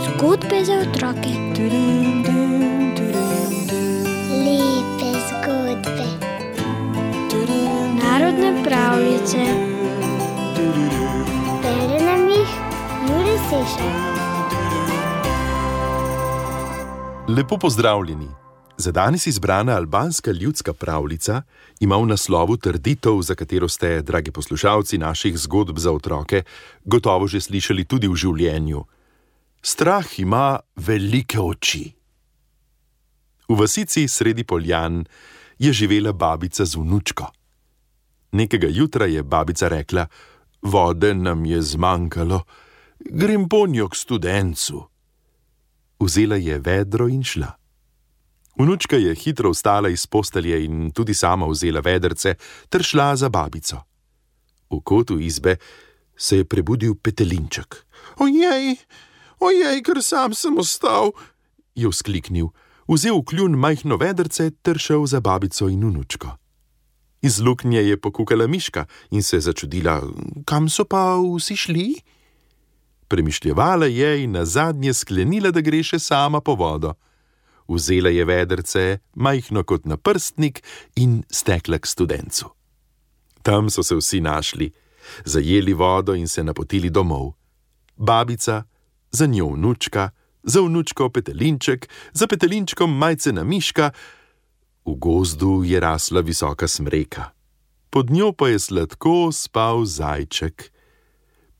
Zgodbe za otroke. Lepe zgodbe. Narodne pravljice. Bere nam jih Jure Sešar. Lepo pozdravljeni. Za danes izbrana albanska ljudska pravljica ima v naslovu trditev, za katero ste, dragi poslušalci naših zgodb za otroke, gotovo že slišali tudi v življenju. Strah ima velike oči. V vasici sredi poljan je živela babica z vnučko. Nekega jutra je babica rekla: "Vode nam je zmanjkalo, grem ponjo k studencu." Vzela je vedro in šla. Vnučka je hitro vstala iz postelje in tudi sama vzela vedrce ter šla za babico. V kotu izbe se je prebudil petelinček. Ojej, ker sam sem ostal," je vzkliknil, vzel v kljun majhno vedrce ter šel za babico in vnučko. Iz luknje je pokukala miška in se začudila: "Kam so pa vsi šli?" Premišljevala je in nazadnje sklenila, da gre še sama po vodo. Vzela je vedrce, majhno kot naprstnik, in stekla k studencu. Tam so se vsi našli, zajeli vodo in se napotili domov. Babica, za njo vnučka, za vnučko petelinček, za petelinčkom majcena miška. V gozdu je rasla visoka smreka. Pod njo pa je sladko spal zajček.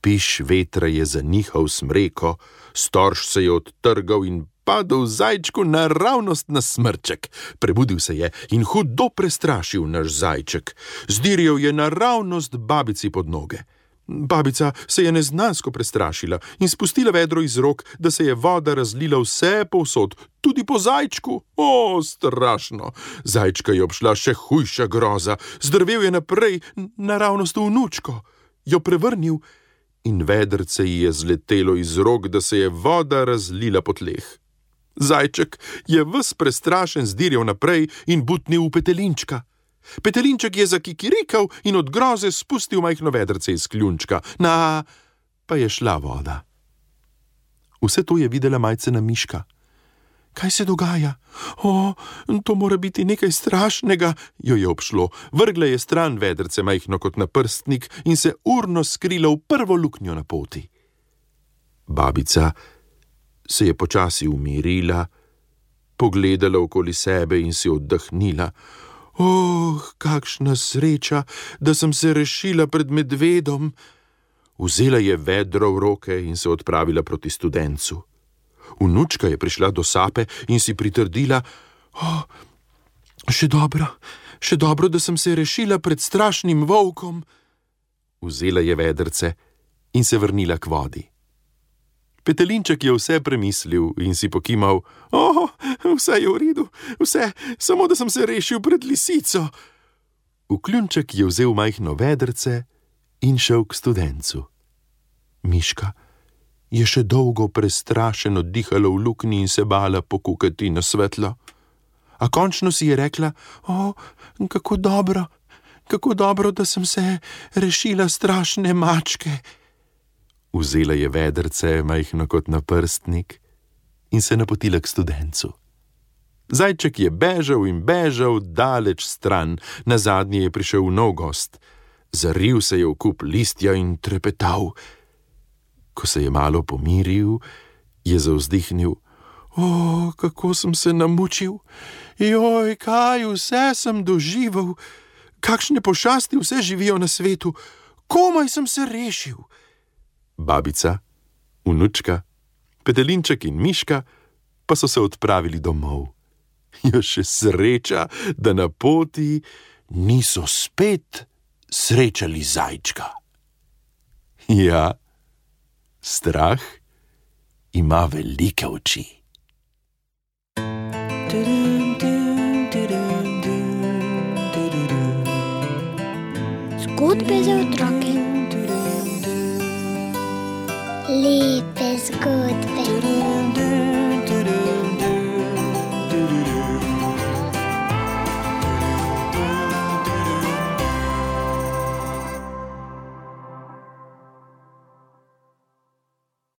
Piš vetra je zanihal smreko, storž se je odtrgal in padel zajčku naravnost na smrček. Prebudil se je in hudo prestrašil naš zajček. Zdirjal je naravnost babici pod noge. Babica se je neznansko prestrašila in spustila vedro iz rok, da se je voda razlila vse povsod, tudi po zajčku. Strašno! Zajčka je obšla še hujša groza. Zdrvel je naprej, naravnost v vnučko. Jo prevrnil in vedrce ji je zletelo iz rok, da se je voda razlila po tleh. Zajček je ves prestrašen zdirjal naprej in butnil v petelinčka. Petelinček je zakikirikal in od groze spustil majhno vedrce iz kljunčka. Pa je šla voda. Vse to je videla majcena miška. "Kaj se dogaja? To mora biti nekaj strašnega," jo je obšlo. Vrgla je stran vedrce, majhno kot naprstnik, in se urno skrila v prvo luknjo na poti. Babica se je počasi umirila, pogledala okoli sebe in si oddahnila. Kakšna sreča, da sem se rešila pred medvedom." Vzela je vedro v roke in se odpravila proti studencu. Vnučka je prišla do sape in si pritrdila: Še dobro, da sem se rešila pred strašnim volkom." Vzela je vedrce in se vrnila k vodi. Petelinček je vse premislil in si pokimal: "Vse je v redu, vse, samo da sem se rešil pred lisico." V kljunček je vzel majhno vedrce in šel k studencu. Miška je še dolgo prestrašeno dihala v luknji in se bala pokukati na svetlo. A končno si je rekla: kako dobro, da sem se rešila strašne mačke." Vzela je vedrce, majhno kot naprstnik, in se napotila k studencu. Zajček je bežal in bežal daleč stran, nazadnje je prišel v nov gost. Zaril se je v kup listja in trepetal. Ko se je malo pomiril, je zavzdihnil: kako sem se namučil! Kaj vse sem doživel! Kakšne pošasti vse živijo na svetu! Komaj sem se rešil! Babica, vnučka, petelinček in miška pa so se odpravili domov. Še sreča, da na poti niso spet srečali zajčka. Ja, strah ima velike oči. Zgodbe za otroke. Lepe zgodbe.